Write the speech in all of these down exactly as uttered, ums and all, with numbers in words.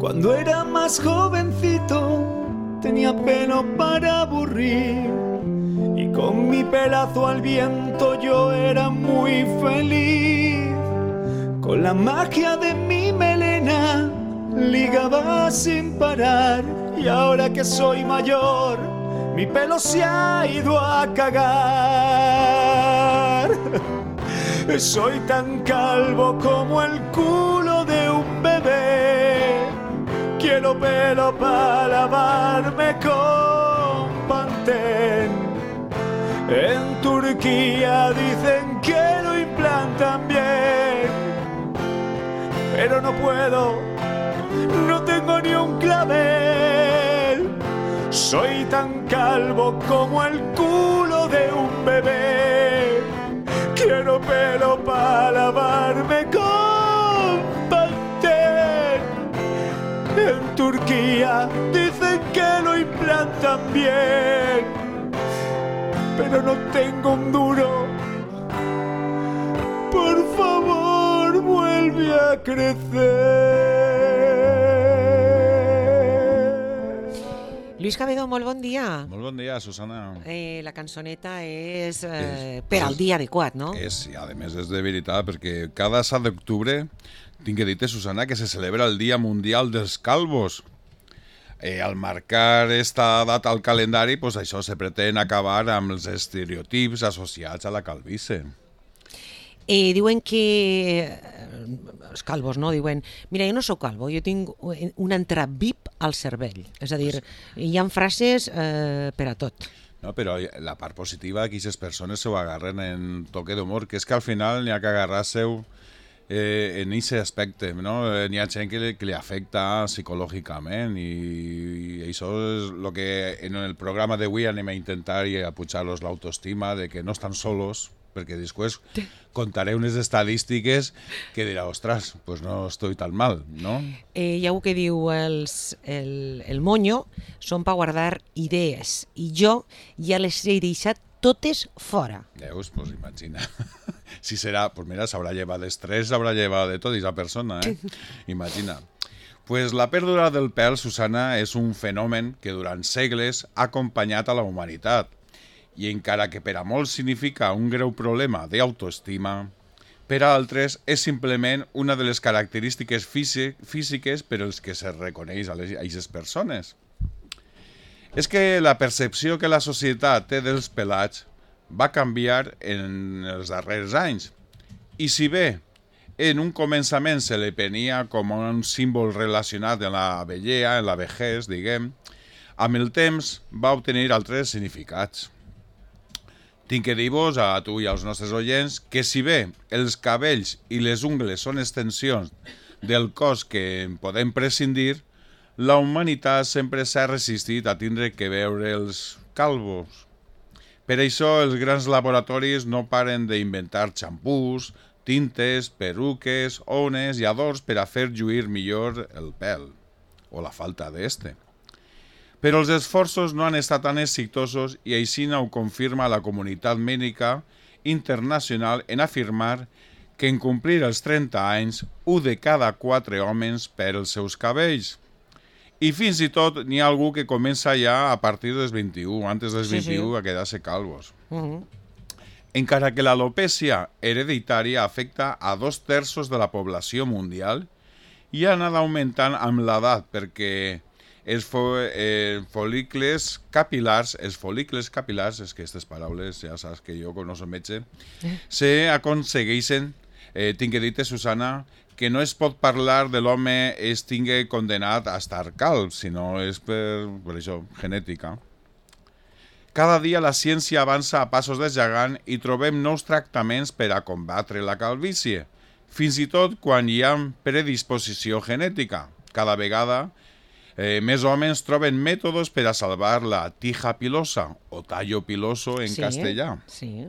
Cuando era más jovencito tenía pelo para aburrir y con mi pelazo al viento yo era muy feliz. Con la magia de mi melena ligaba sin parar y ahora que soy mayor mi pelo se ha ido a cagar. Soy tan calvo como el culo de un bebé. Quiero pelo para lavarme con Pantene. En Turquía dicen que lo implantan bien, pero no puedo, no tengo ni un clavel. Soy tan calvo como el culo de un bebé. Quiero pelo para lavarme con Pantene. En Turquía dicen que lo implantan bien, pero no tengo un duro. Por favor, vuelve a crecer. Lluís Cabedó, molt bon dia. Molt bon dia, Susana. Eh, la cançoneta és, eh, és per al dia adequat, no? És, i a més és de veritat, perquè cada set d'octubre tinc que dir-te, Susana, que se celebra el Dia Mundial dels Calvos. Eh, al marcar esta data al calendari, pues això se pretén acabar amb els estereotips associats a la calvície. Eh, diuen que els calvos, no? Diuen, mira, jo no sóc calvo, jo tinc un entravip al cervell. És a dir, hi ha frases eh, per a tot. No, però la part positiva, que aquestes persones s'ho agarren en toque d'humor, que és que al final n'hi ha que agarrar-se-ho eh, en aquest aspecte, no? N'hi ha gent que li, que li afecta psicològicament i, i això és el que en el programa d'avui anem a intentar i a pujar-los l'autoestima de que no estan solos, perquè després contaré unes estadístiques que dirà, ostres, pues no estoy tan mal, no? Eh, hi ha algú que diu, els, el, el moño són per guardar idees i jo ja les he deixat totes fora. Veus? Pues imagina. Si serà, pues mira, s'haurà llevat d'estrès, s'haurà llevat de tot aquesta persona, eh? Imagina. Pues la pèrdua del pèl, Susana, és un fenomen que durant segles ha acompanyat a la humanitat. I encara que per a molts significa un greu problema d'autoestima, per a altres és simplement una de les característiques físiques per als que se reconeix a aquestes persones. És que la percepció que la societat té dels pelats va canviar en els darrers anys. I si bé en un començament se li prenia com un símbol relacionat amb la vellea, en la vejez, diguem, amb el temps va obtenir altres significats. Tinc que dir-vos a tu i als nostres oients que si bé els cabells i les ungles són extensions del cos que en podem prescindir, la humanitat sempre s'ha resistit a tindre que veure els calvos. Per això els grans laboratoris no paren d'inventar xampús, tintes, peruques, ones i adorns per a fer lluir millor el pèl, o la falta d'este. Però els esforços no han estat tan exitosos i així ho confirma la comunitat mèdica internacional en afirmar que en complir els trenta anys, un de cada quatre homes perd els seus cabells. I fins i tot n'hi ha algú que comença ja a partir dels vint-i-u, antes dels vint-i-u, sí, sí. a quedar-se calvos. Uh-huh. Encara que l'alopècia hereditària afecta a dos terços de la població mundial i ha anat augmentant amb l'edat perquè els fo eh, folicles capilars, els folicles capilars, és que aquestes paraules ja saps que jo no soc metge, se aconsegueixen, eh, tinc que dir-te, Susana, que no es pot parlar de l'home es tingui condenat a estar calb, sinó és per, per això, genètica. Cada dia la ciència avança a passos de gegant i trobem nous tractaments per a combatre la calvície, fins i tot quan hi ha predisposició genètica. Cada vegada Eh, més homes troben mètodes per a salvar la tija pilosa o tallo piloso en sí, castellà. Sí.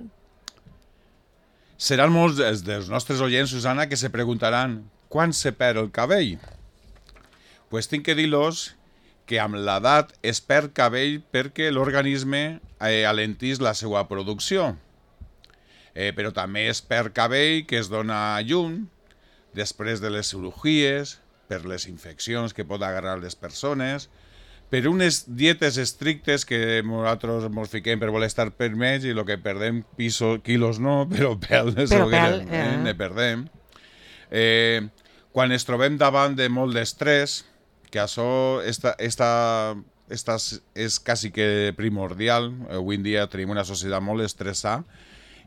Seran molts dels nostres oients, Susana, que se preguntaran quan se perd el cabell. Pues tinc que dir-los que amb l'edat es perd cabell perquè l'organisme eh, alentís la seva producció. Eh, però també es perd cabell que es dona llum després de les cirurgies, per les infeccions que pot agarrar les persones, per unes dietes estrictes que nosaltres ens fiquem per voler estar per més i el que perdem pisos, quilos no, però pèl, però pèl ne, eh. ne perdem. Eh, quan ens trobem davant de molt d'estrès, que això esta, esta, esta és quasi que primordial, avui en dia tenim una societat molt estressada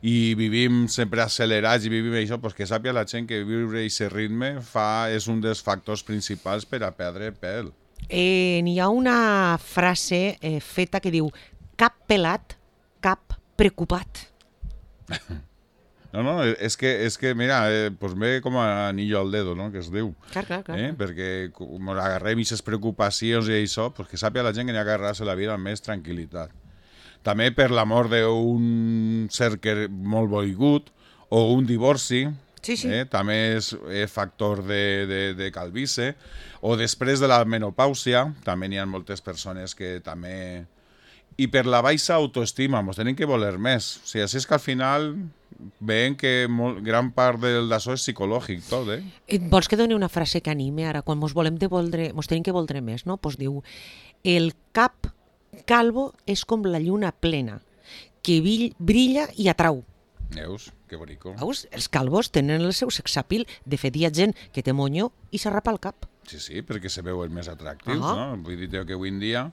i vivim sempre accelerats i vivim això, pues que sàpia la gent que viure aquest ritme fa, és un dels factors principals per a perdre pèl. Eh, n'hi ha una frase eh, feta que diu cap pelat, cap preocupat. No, no, és que, és que mira, eh, pues ve com a anillo al dedo, no?, que es diu. Clar, clar, clar. Eh? Perquè com agarrem aquestes preocupacions i això, pues que sàpia la gent que n'hi ha que agarrar-se la vida amb més tranquil·litat. També per l'amor d'un ser que molt volgut o un divorci, sí, sí. Eh? També és, és factor de, de, de calvície, o després de la menopàusia, també n'hi ha moltes persones que també... I per la baixa autoestima, ens tenim que voler més. O sigui, així és que al final veiem que molt, gran part d'això és psicològic, tot, eh? Et vols que doni una frase que anime ara? Quan mos volem de voldre, mos tenim que voldre més, no? Pues diu, el cap calvo és com la lluna plena, que brilla i atrau. Veus? Que bonico. Veus? Els calvos tenen el seu sexapil. De fet, hi ha gent que té monyo i s'arrapa el cap. Sí, sí, perquè se veuen més atractius, ah. no? Vull dir que avui en dia...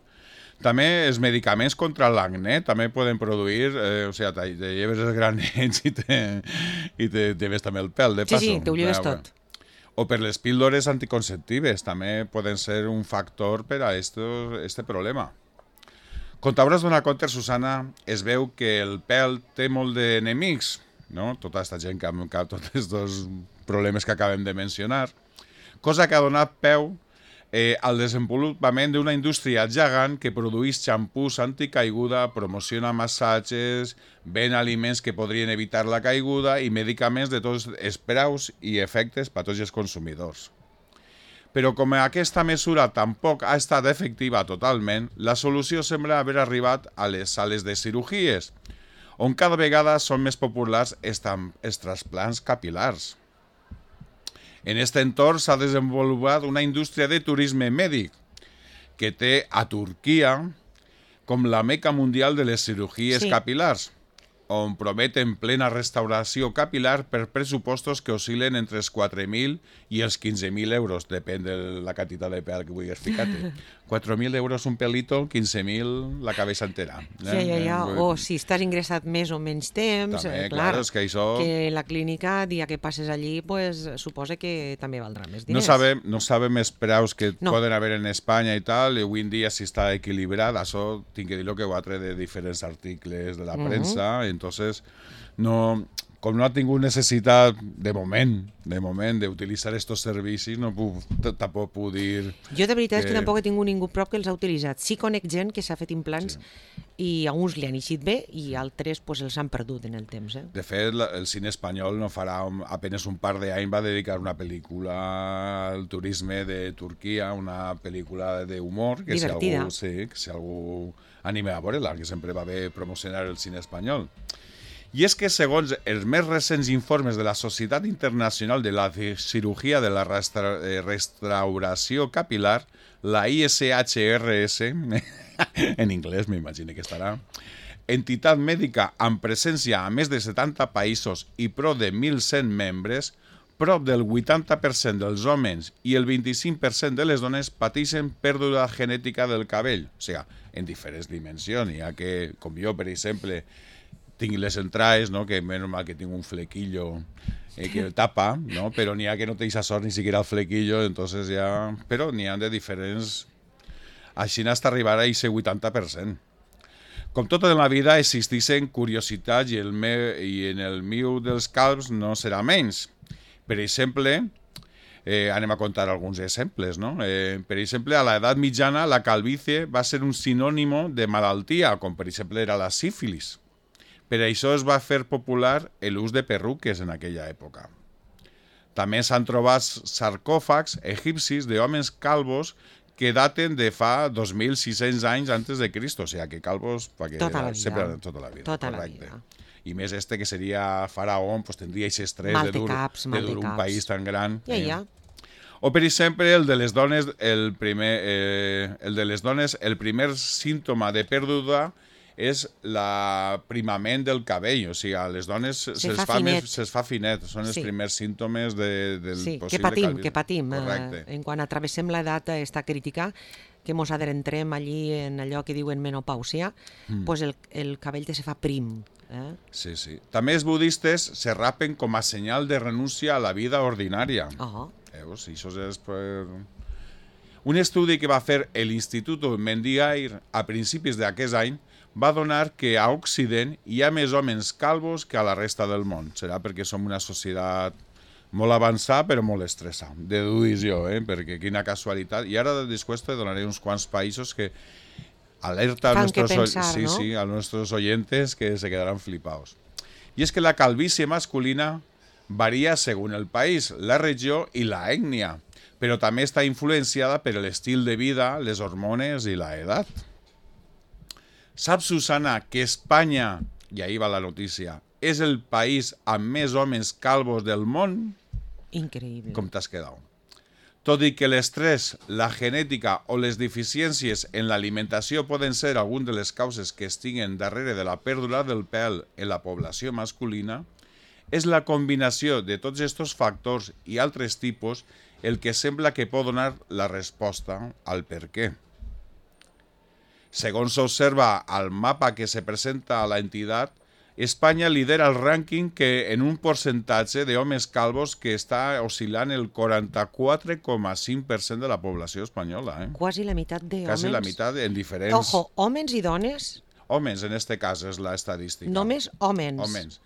També els medicaments contra l'acné també poden produir, eh, o sigui, te, te lleves els granets i te, i te, te ves també el pèl, de passo. Sí, sí, te ho lleves tot. O per les píldores anticonceptives, també poden ser un factor per a esto, este problema. Com t'hauràs donat compte, Susana, es veu que el pèl té molt d'enemics, no? Tota aquesta gent que ha tots aquests problemes que acabem de mencionar, cosa que ha donat peu Eh, al desenvolupament d'una indústria gegant que produeix xampús anticaiguda, promociona massatges, ven aliments que podrien evitar la caiguda i medicaments de tots els preus i efectes per a tots els consumidors. Però com aquesta mesura tampoc ha estat efectiva totalment, la solució sembla haver arribat a les sales de cirurgies, on cada vegada són més populars els trasplants capil·lars. En aquest entorn s'ha desenvolupat una indústria de turisme mèdic que té a Turquia com la meca mundial de les cirurgies sí. capil·lars, on prometen plena restauració capil·lar per pressupostos que oscil·len entre els quatre mil i els quinze mil euros, depèn de la quantitat de pèl que vulguis ficar-te. quatre mil euros un pelito, quinze mil la cabeza entera. Eh? Ja, ja, ja. O si estàs ingressat més o menys temps, també, eh, clar, clar, és que, això... que la clínica, dia que passes allí, pues, suposa que també valdrà més diners. No sabem, no sabem els preus que no. poden haver en Espanya i tal, i avui en dia si està equilibrat, això tinc que dir-ho que ho ha tret de diferents articles de la premsa, uh -huh. entonces no... Com no ha tingut necessitat, de moment, de moment, d'utilitzar aquests servicis, no puc, tampoc puc dir... Jo de veritat que... és que tampoc he tingut ningú prop que els ha utilitzat. Sí conec gent que s'ha fet implants sí. i a uns li han eixit bé i altres pues, els han perdut en el temps. Eh? De fet, el cine espanyol no farà un, apenas un par d'anys va dedicar una pel·lícula al turisme de Turquia, una pel·lícula d'humor, que divertida. Si algú, sí, que si algú anima a veure-la, que sempre va bé promocionar el cine espanyol. I és que, segons els més recents informes de la Societat Internacional de la Cirugía de la Restra Restauració Capil·lar, la I S H R S, en anglès m'imagino que estarà, entitat mèdica amb presència a més de setanta països i prop de mil cent membres, prop del vuitanta per cent dels homes i el vint-i-cinc per cent de les dones pateixen pèrdua genètica del cabell. O sigui, en diferents dimensions. Hi ha que, com jo, per exemple, tinc les entrades, no? Que menys mal que tinc un flequillo eh, que el tapa, no? Però n'hi ha que no té esa sort ni siquiera el flequillo, entonces ja... Però n'hi ha de diferents... Així hasta arribar a aquest vuitanta per cent. Com tota la vida existeixen curiositats i, el me... i en el meu dels calbs no serà menys. Per exemple, eh, anem a contar alguns exemples, no? Eh, per exemple, a l'edat mitjana la calvície va ser un sinònimo de malaltia, com per exemple era la sífilis. Per això es va fer popular l'ús de perruques en aquella època. També s'han trobat sarcòfags egipcis d'homes calvos que daten de fa dos mil sis-cents anys antes de Cristo, o sigui que calvos... Tota la vida. Sempre, tota la vida. Tota la vida. I més este que seria faraó, pues tindria aquest estrès de dur, caps, de dur un país tan gran. Ja, ja. O, per exemple, el de les dones, el primer, eh, el de les dones, el primer símptoma de pèrdua és l'aprimament del cabell, o sigui, a les dones Se se'ls fa fa, finet. més, se'ls fa finet, són els Sí. primers símptomes de, del Sí, que possible patim, calvi. que patim. Correcte. Eh, en quan atravessem l'edat esta crítica, que mos adentrem allí en allò que diuen menopàusia, mm. pues el, el cabell te se fa prim. Eh? Sí, sí. També els budistes se rapen com a senyal de renúncia a la vida ordinària. Oh. Veus? I això és per... Un estudi que va fer l'Institut Mendigair a principis d'aquest any va donar que a Occident hi ha més homes calvos que a la resta del món. Serà perquè som una societat molt avançada però molt estressada. Deduís jo, eh? Perquè quina casualitat. I ara després te donaré uns quants països que alerta a Fan que nuestros, pensar, sí, ¿no? sí, a nuestros oyentes que se quedarán flipados. Y es que la calvicie masculina varía según el país, la regió i la ètnia, però també està influenciada per l'estil de vida, les hormones i la edat. Saps, Susana, que Espanya, i ahí va la notícia, és el país amb més homes calvos del món? Increïble. Com t'has quedat? Tot i que l'estrès, la genètica o les deficiències en l'alimentació poden ser algunes de les causes que estiguen darrere de la pèrdua del pèl en la població masculina, és la combinació de tots aquests factors i altres tipus el que sembla que pot donar la resposta al per què. Segons s'observa al mapa que se presenta a la entitat, Espanya lidera el rànquing que en un percentatge d'homes calvos que està oscil·lant el quaranta-quatre coma cinc per cent de la població espanyola. Eh? Quasi la meitat de homes. Quasi la meitat en diferents... Ojo, homes i dones, Homes, en este cas, és la estadística. només homes. Homes.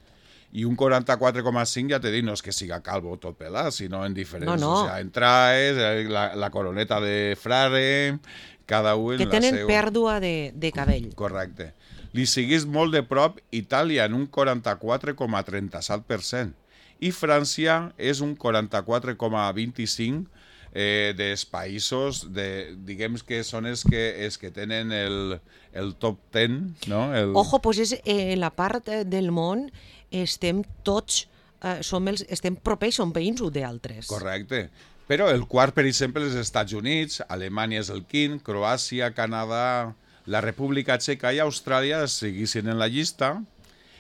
I un quaranta-quatre coma cinc, ja te dic, no és que siga calvo tot pelat, sinó en diferents... No, no. O sea, en traes, eh, la, la coroneta de frare, cada un Que en la tenen seu... pèrdua de, de cabell. Correcte. Li seguís molt de prop Itàlia en un quaranta-quatre coma trenta-set per cent i França és un quaranta-quatre coma vint-i-cinc eh, dels països, de, diguem que són els que, els que tenen el, el top deu, no? El... Ojo, pues és, eh, en la part eh, del món estem tots, eh, som els, estem propers, som veïns uns d'altres. Correcte. Però el quart, per exemple, és els Estats Units, Alemanya és el quint, Croàcia, Canadà, la República Txeca i Austràlia seguissin en la llista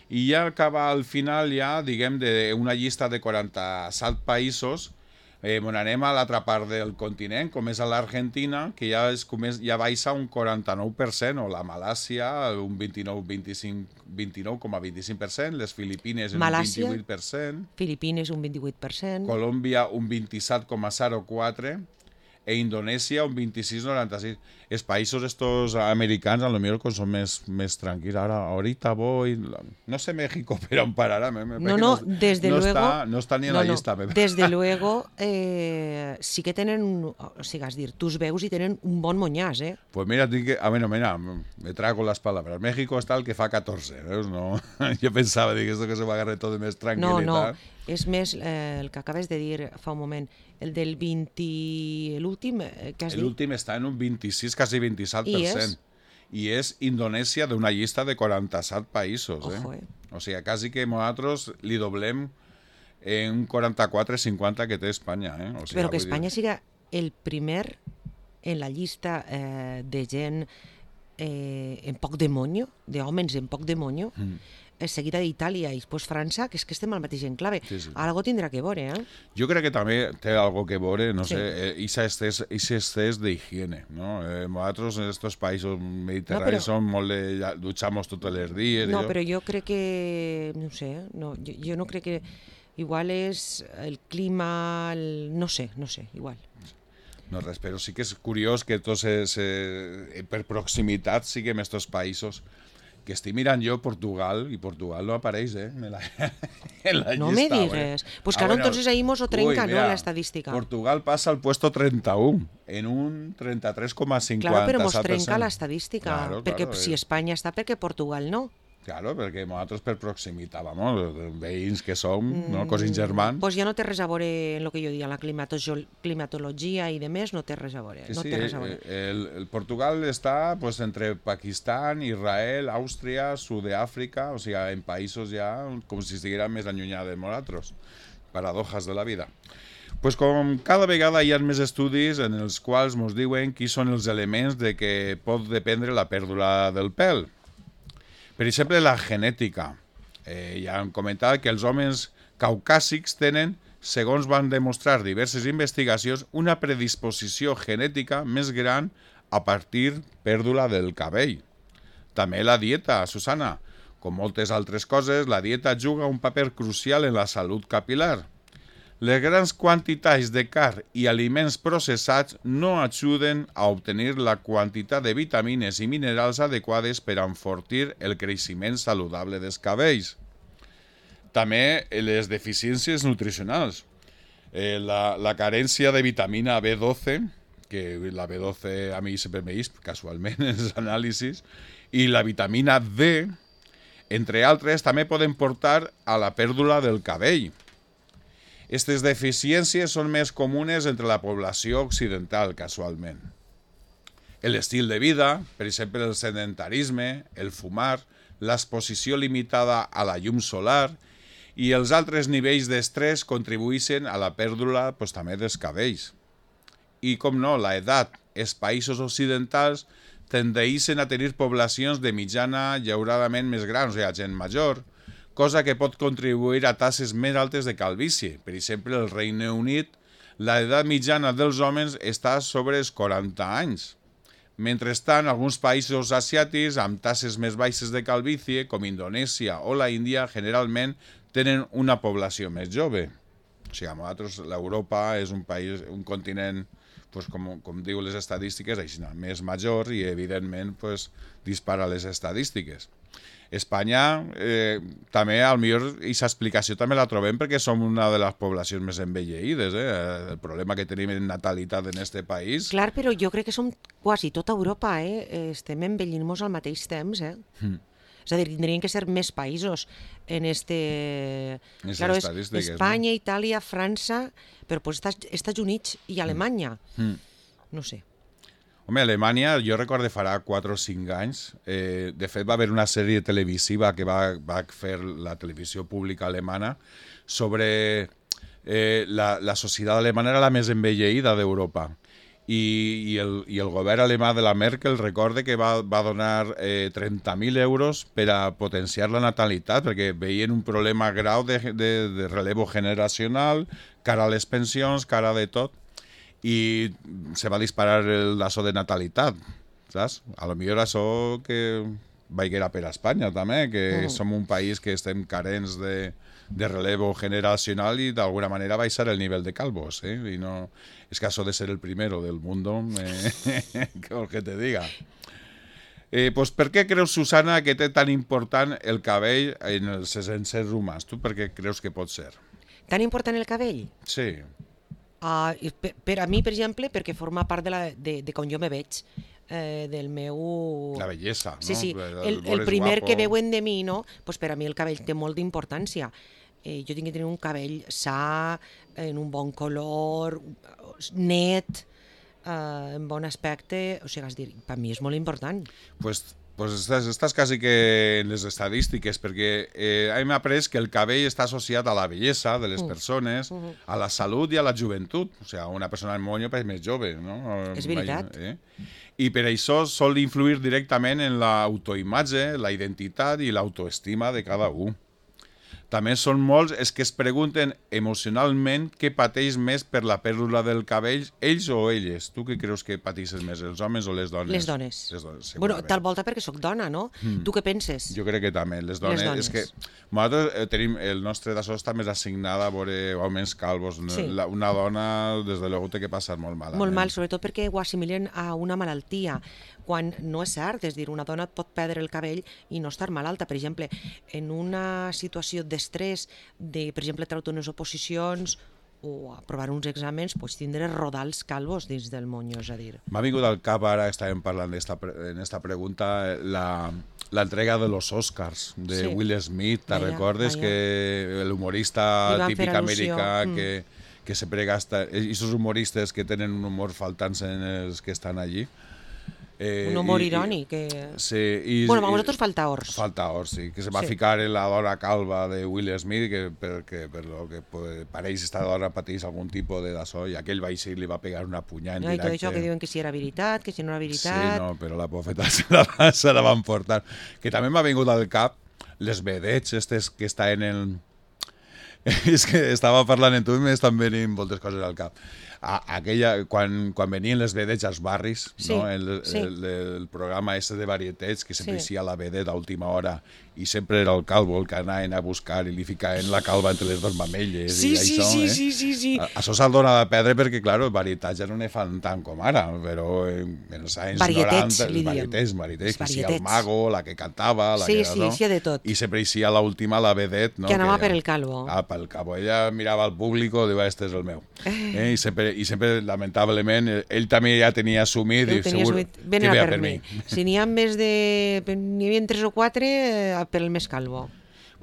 i ja acaba al final ja, diguem, d'una llista de quaranta-set països, eh, on anem a l'altra part del continent, com és a l'Argentina, que ja, és, ja baixa un quaranta-nou per cent, o la Malàcia un vint-i-nou coma vint-i-cinc per cent, les Filipines un Malàcia, vint-i-vuit per cent, Filipines un vint-i-vuit per cent. Colòmbia un vint-i-set coma zero quatre e Indonèsia un vint-i-sis coma noranta-sis. Els països estos americans a lo millor són més, més tranquils. Ara, ahorita voy... No sé México, però on pararà. Me, me, No, no, desde no luego... Està, no està ni en no, la no, llista. Me. Desde luego, eh, sí que tenen, o sigui, és dir, tu els veus i tenen un bon monyàs, eh? Pues mira, tinc que... Ah, bueno, mira, me trago las palabras. México está el que fa catorze, veus? No, jo pensava, dic, esto que se va agarrar tot de més tranquil·litat. No, no, és més eh, el que acabes de dir fa un moment, el del vint... l'últim eh, que has dit. L'últim està en un vint-i-sis, quasi vint-i-set per cent. I és Indonèsia d'una llista de quaranta-set països. Eh? Ojo, eh? O sigui, quasi que nosaltres li doblem en un quaranta-quatre cinquanta que té Espanya. Eh? O sigui, Però que vull Espanya dir... siga el primer en la llista eh, de gent eh, en poc demonio, d'homes en poc demonio, mm. seguida d'Itàlia i després França, que és que estem al mateix enclave. Sí, sí. Algo tindrà que veure, eh? Jo crec que també té algo que veure, no sí. sé, aquest excés d'higiene, no? Eh, nosaltres en aquests països mediterranis no, però... som molt de... dutxamos tots els dies. No, jo... però jo crec que... no sé, no, jo, jo no crec que... Igual és el clima... El... No sé, no sé, igual. No res, però sí que és curiós que tots se, se, per proximitat siguem estos països que estic mirant jo Portugal i Portugal no apareix, eh? En la, en la no llista, me digues. Eh? Pues claro, ah, bueno, entonces ahí mos o trenca, uy, mira, ¿no? La estadística. Portugal pasa al puesto treinta y uno en un trenta-tres coma cinquanta. Claro, però mos trenca la estadística. Claro, perquè claro, si Espanya està, perquè Portugal no. Claro, perquè nosaltres per proximitat, vamos, veïns que som, mm, no? Cosins germans. Pues ja no té res a veure en el que jo diria, la climatologia i de més, no té res a veure. Sí, no sí, té res a veure. El, el Portugal està pues, entre Pakistan, Israel, Àustria, Sud-àfrica, o sigui, en països ja com si estigueren més allunyats de nosaltres. Paradojas de la vida. Pues com cada vegada hi ha més estudis en els quals ens diuen quins són els elements de què pot dependre la pèrdua del pèl. Per exemple, la genètica. Eh, ja hem comentat que els homes caucàsics tenen, segons van demostrar diverses investigacions, una predisposició genètica més gran a partir pèrdua del cabell. També la dieta, Susana. Com moltes altres coses, la dieta juga un paper crucial en la salut capilar. Les grans quantitats de carn i aliments processats no ajuden a obtenir la quantitat de vitamines i minerals adequades per a enfortir el creixement saludable dels cabells. També les deficiències nutricionals. Eh, la, la carència de vitamina B doce, que la B doce a mi sempre m'he vist casualment en els anàlisis, i la vitamina D, entre altres, també poden portar a la pèrdua del cabell. Aquestes deficiències són més comunes entre la població occidental, casualment. L'estil de vida, per exemple, el sedentarisme, el fumar, l'exposició limitada a la llum solar i els altres nivells d'estrès contribueixen a la pèrdua pues, també dels cabells. I, com no, l'edat. Els països occidentals tendeixen a tenir poblacions de mitjana llauradament més grans, o sigui, gent major, cosa que pot contribuir a tasses més altes de calvície. Per exemple, al Regne Unit, l'edat mitjana dels homes està sobre els quaranta anys. Mentrestant, alguns països asiàtics amb tasses més baixes de calvície, com Indonèsia o la Índia, generalment tenen una població més jove. O sigui, nosaltres, l'Europa és un país, un continent, pues, com, com diu les estadístiques, així, més major i, evidentment, pues, dispara les estadístiques. Espanya, eh, també, al millor, aquesta explicació també la trobem perquè som una de les poblacions més envelleïdes. Eh? El problema que tenim en natalitat en este país... Clar, però jo crec que som quasi tota Europa, eh? Estem envellint-nos al mateix temps, eh? Mm. És a dir, tindrien que ser més països en este... Claro, és Espanya, no? Itàlia, França, però pues, Estats Units i Alemanya. Mm. No sé. Home, a Alemanya, jo recordo farà quatre o cinc anys, eh, de fet va haver una sèrie televisiva que va, va fer la televisió pública alemana sobre eh, la, la societat alemana era la més envelleïda d'Europa. I, i, el, i el govern alemà de la Merkel recorde que va, va donar eh, trenta mil euros per a potenciar la natalitat, perquè veien un problema grau de, de, de relevo generacional, cara a les pensions, cara de tot, i se va disparar el laço de natalitat, saps? A lo millor això que vaiguera per a Espanya també, que mm. som un país que estem carents de, de relevo generacional i d'alguna manera baixar el nivell de calvos, eh? I no... És que això de ser el primero del mundo, eh, què vols que te diga? Eh, pues, per què creus, Susana, que té tan important el cabell en els éssers humans? Tu per què creus que pot ser? Tan important el cabell? Sí. Uh, per, per a mi, per exemple, perquè forma part de, la, de, de com jo me veig, eh, del meu... La bellesa, no? Sí, sí, el, el primer guapo. Que veuen de mi, no? Pues per a mi el cabell té molt d'importància. Eh, jo tinc que tenir un cabell sa, en un bon color, net, eh, en bon aspecte, o sigui, és dir, per mi és molt important. Pues... Pues estàs, estàs quasi que en les estadístiques, perquè eh, hem après que el cabell està associat a la bellesa de les persones, uh -huh. a la salut i a la joventut. O sigui, una persona amb monyo és més jove, no? És veritat. Eh? I per això sol influir directament en l'autoimatge, la identitat i l'autoestima de cada un. També són molts els que es pregunten emocionalment què pateix més per la pèrdua del cabell, ells o elles. Tu què creus que pateixes més, els homes o les dones? Les dones. Les dones, bueno, tal volta perquè sóc dona, no? Mm. Tu què penses? Jo crec que també, les dones. Les dones. És que nosaltres tenim, el nostre d'això està més assignada a veure homes calvos. Sí. La, una dona, des de luego, té que passar molt malament. Molt mal, sobretot perquè ho assimilen a una malaltia, quan no és cert, és dir, una dona pot perdre el cabell i no estar malalta. Per exemple, en una situació d'estrès, de, per exemple, treure unes oposicions o aprovar uns exàmens, pues, tindre rodals calvos dins del monyo, és a dir. M'ha vingut al cap, ara estàvem parlant esta, en esta pregunta, la, la entrega de los Oscars de sí. Will Smith, ¿te vaya, recordes? Vaya. Que el humorista típic americà mm. que, que sempre gasta, i esos humoristes que tenen un humor faltant en els que estan allí. Eh, un humor i- i- irònic. Que... Sí, i, Bueno, a i- vosaltres falta ors. Falta Ors, sí, que se va Sí. ficar en la dona calva de Will Smith, que perquè per lo que pues, pareix esta dona pateix algun tipus de d'açò, i aquell va eixir i li va pegar una punyada en No, I tot directe. això que diuen que si era veritat, que si no era Sí, veritat... no, però la bofeta se la, se la van portar. Que també m'ha vingut al cap les vedets estes que està en el... És que estava parlant amb tu i m'estan venint moltes coses al cap. A, aquella, quan, quan venien les vedets als barris, Sí, no? el, sí. el, el programa este de varietats, que sempre Sí. hi ha la vedeta a última hora, i sempre era el calvo el que anaven a buscar i li ficaven la calva entre les dues mamelles. Sí, i sí, això, sí, eh? sí, sí, sí. A- Això se'l dona de perdre perquè, clar, varietats ja no ne fan tant com ara, però en els anys Varietets, noranta... li diem. Varietets, varietets, Els que sia el varietets. mago, la que cantava, la Sí, que... sí, no? sí, de tot. I sempre hi sia l'última, la vedet, no? Que anava per el calvo. Ah, pel calvo. Ella mirava al públic i diu, este és el meu. Eh? I, sempre, I sempre, lamentablement, ell, ell també ja tenia assumit Ho i tenia segur assumit. Ben que era veia per mi. Si n'hi ha més de... N'hi havia tres o quatre, eh, per el més calvo.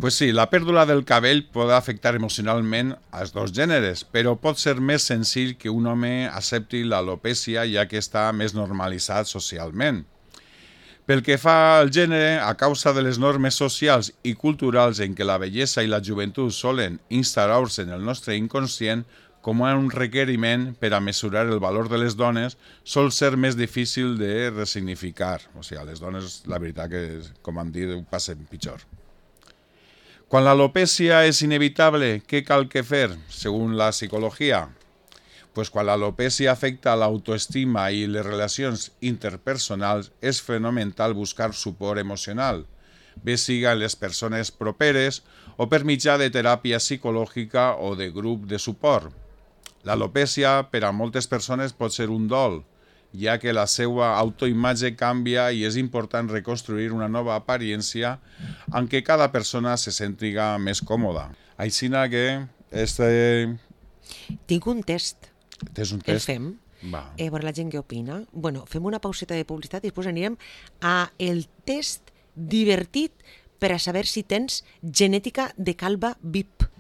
Pues sí, la pèrdua del cabell pot afectar emocionalment als dos gèneres, però pot ser més senzill que un home accepti l'alopècia ja que està més normalitzat socialment. Pel que fa al gènere, a causa de les normes socials i culturals en què la bellesa i la joventut solen instaurar-se en el nostre inconscient com a un requeriment per a mesurar el valor de les dones, sol ser més difícil de resignificar. O sigui, les dones, la veritat que, com han dit, ho passen pitjor. Quan l'alopècia és inevitable, què cal que fer, segons la psicologia? Pues quan l'alopècia afecta l'autoestima i les relacions interpersonals, és fonamental buscar suport emocional, bé siga en les persones properes o per mitjà de teràpia psicològica o de grup de suport. L'alopècia per a moltes persones pot ser un dol, ja que la seva autoimatge canvia i és important reconstruir una nova apariència en què cada persona se sentiga més còmoda. Aixina que este... Tinc un test. Tens un El test? fem. Va. Eh, a veure la gent què opina. Bueno, fem una pauseta de publicitat i després anirem a el test divertit per a saber si tens genètica de calva V I P.